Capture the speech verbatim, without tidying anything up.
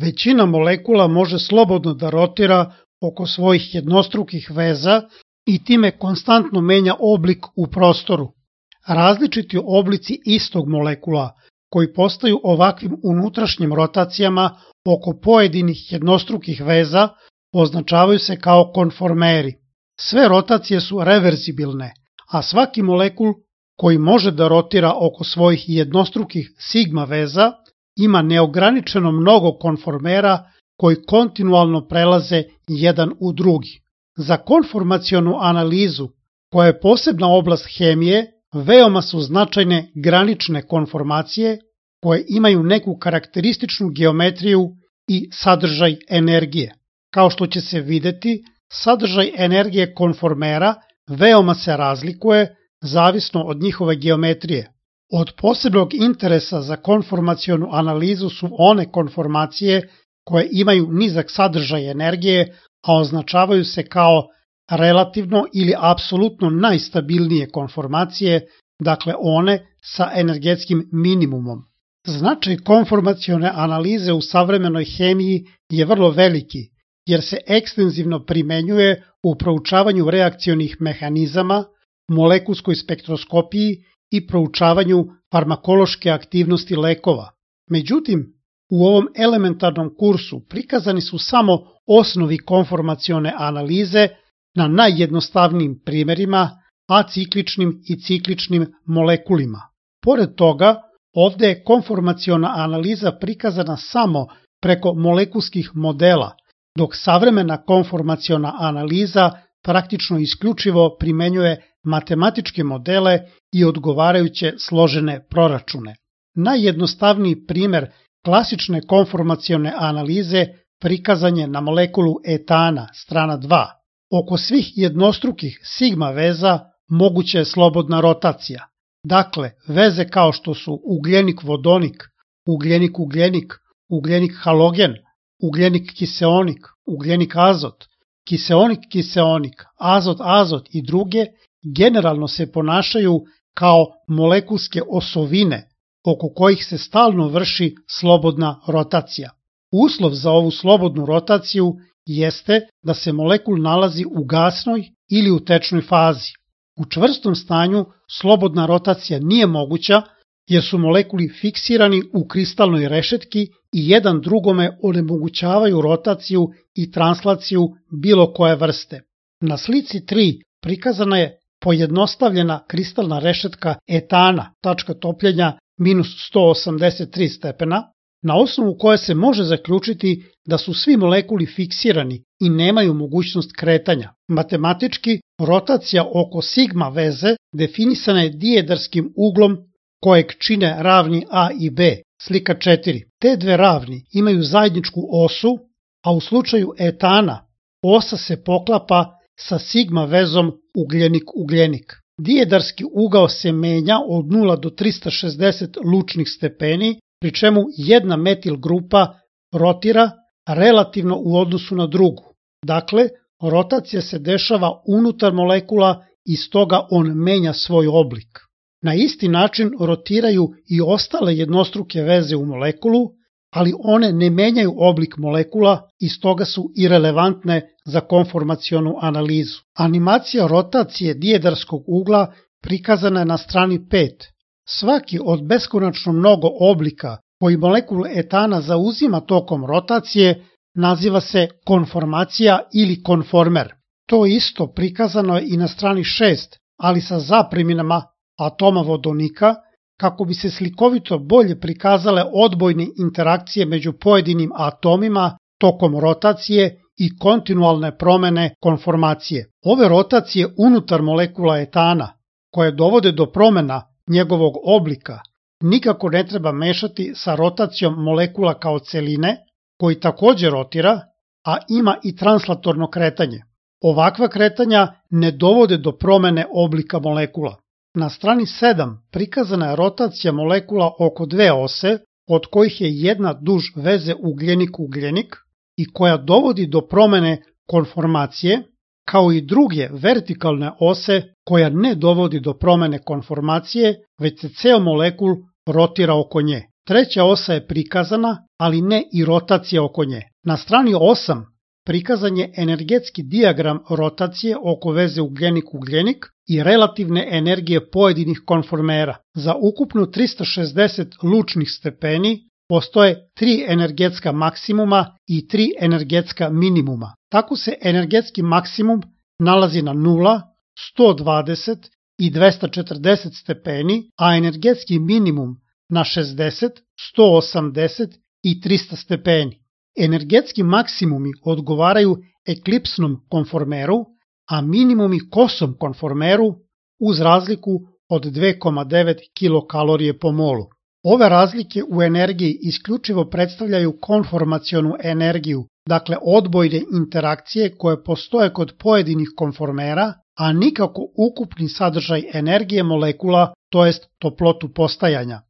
Većina molekula može slobodno da rotira oko svojih jednostrukih veza i time konstantno menja oblik u prostoru. Različiti oblici istog molekula koji postaju ovakvim unutrašnjim rotacijama oko pojedinih jednostrukih veza označavaju se kao konformeri. Sve rotacije su reverzibilne, a svaki molekul koji može da rotira oko svojih jednostrukih sigma veza ima neograničeno mnogo konformera koji kontinualno prelaze jedan u drugi. Za konformacionu analizu, koja je posebna oblast hemije, veoma su značajne granične konformacije koje imaju neku karakterističnu geometriju i sadržaj energije. Kao što će se videti, sadržaj energije konformera veoma se razlikuje zavisno od njihove geometrije. Od posebnog interesa za konformacionu analizu su one konformacije koje imaju nizak sadržaj energije, a označavaju se kao relativno ili apsolutno najstabilnije konformacije, dakle one sa energetskim minimumom. Značaj konformacione analize u savremenoj hemiji je vrlo veliki, jer se ekstenzivno primenjuje u proučavanju reakcionih mehanizama, molekulskoj spektroskopiji i proučavanju farmakološke aktivnosti lekova. Međutim, u ovom elementarnom kursu prikazani su samo osnovi konformacione analize na najjednostavnijim primerima, acikličnim i cikličnim molekulima. Pored toga, ovde je konformaciona analiza prikazana samo preko molekulskih modela, dok savremena konformaciona analiza praktično isključivo primenjuje matematičke modele i odgovarajuće složene proračune. Najjednostavniji primer klasične konformacione analize prikazan je na molekulu etana, strana dva. Oko svih jednostrukih sigma veza moguća je slobodna rotacija. Dakle, veze kao što su ugljenik-vodonik, ugljenik-ugljenik, ugljenik-halogen, ugljenik-kiseonik, ugljenik-azot, kiseonik-kiseonik, azot-azot i druge generalno se ponašaju kao molekulske osovine oko kojih se stalno vrši slobodna rotacija. Uslov za ovu slobodnu rotaciju jeste da se molekul nalazi u gasnoj ili u tečnoj fazi. U čvrstom stanju slobodna rotacija nije moguća jer su molekuli fiksirani u kristalnoj rešetki i jedan drugome onemogućavaju rotaciju i translaciju bilo koje vrste. Na slici tri prikazana je pojednostavljena kristalna rešetka etana, tačka topljenja minus sto osamdeset tri stepena, na osnovu koje se može zaključiti da su svi molekuli fiksirani i nemaju mogućnost kretanja. Matematički, rotacija oko sigma veze definisana je dijedarskim uglom kojeg čine ravni A i B, slika četiri. Te dve ravni imaju zajedničku osu, a u slučaju etana osa se poklapa sa sigma vezom ugljenik-ugljenik. Dijedarski ugao se menja od nula do trista šezdeset lučnih stepeni, pri čemu jedna metil grupa rotira relativno u odnosu na drugu. Dakle, rotacija se dešava unutar molekula i stoga on menja svoj oblik. Na isti način rotiraju i ostale jednostruke veze u molekulu, ali one ne menjaju oblik molekula i stoga su irelevantne za konformacionu analizu. Animacija rotacije dijedarskog ugla prikazana je na strani pet. Svaki od beskonačno mnogo oblika koji molekul etana zauzima tokom rotacije naziva se konformacija ili konformer. To isto prikazano je i na strani šest, ali sa zapreminama atoma vodonika, kako bi se slikovito bolje prikazale odbojne interakcije među pojedinim atomima tokom rotacije i kontinualne promene konformacije. Ove rotacije unutar molekula etana, koje dovode do promena njegovog oblika, nikako ne treba mešati sa rotacijom molekula kao celine, koji takođe rotira, a ima i translatorno kretanje. Ovakva kretanja ne dovode do promene oblika molekula. Na strani sedam prikazana je rotacija molekula oko dve ose, od kojih je jedna duž veze ugljenik-ugljenik i koja dovodi do promene konformacije, kao i druge vertikalne ose koja ne dovodi do promene konformacije, već se ceo molekul rotira oko nje. Treća osa je prikazana, ali ne i rotacija oko nje. Na strani osam prikazan je energetski dijagram rotacije oko veze ugljenik-ugljenik i relativne energije pojedinih konformera. Za ukupno trista šezdeset lučnih stepeni postoje tri energetska maksimuma i tri energetska minimuma. Tako se energetski maksimum nalazi na nula, sto dvadeset i dvesta četrdeset stepeni, a energetski minimum na šezdeset, sto osamdeset i trista stepeni. Energetski maksimumi odgovaraju eklipsnom konformeru, a minimumi kosom konformeru uz razliku od dve zarez devet kilokalorije po molu. Ove razlike u energiji isključivo predstavljaju konformacionu energiju, dakle odbojne interakcije koje postoje kod pojedinih konformera, a nikako ukupni sadržaj energije molekula, to jest toplotu postajanja.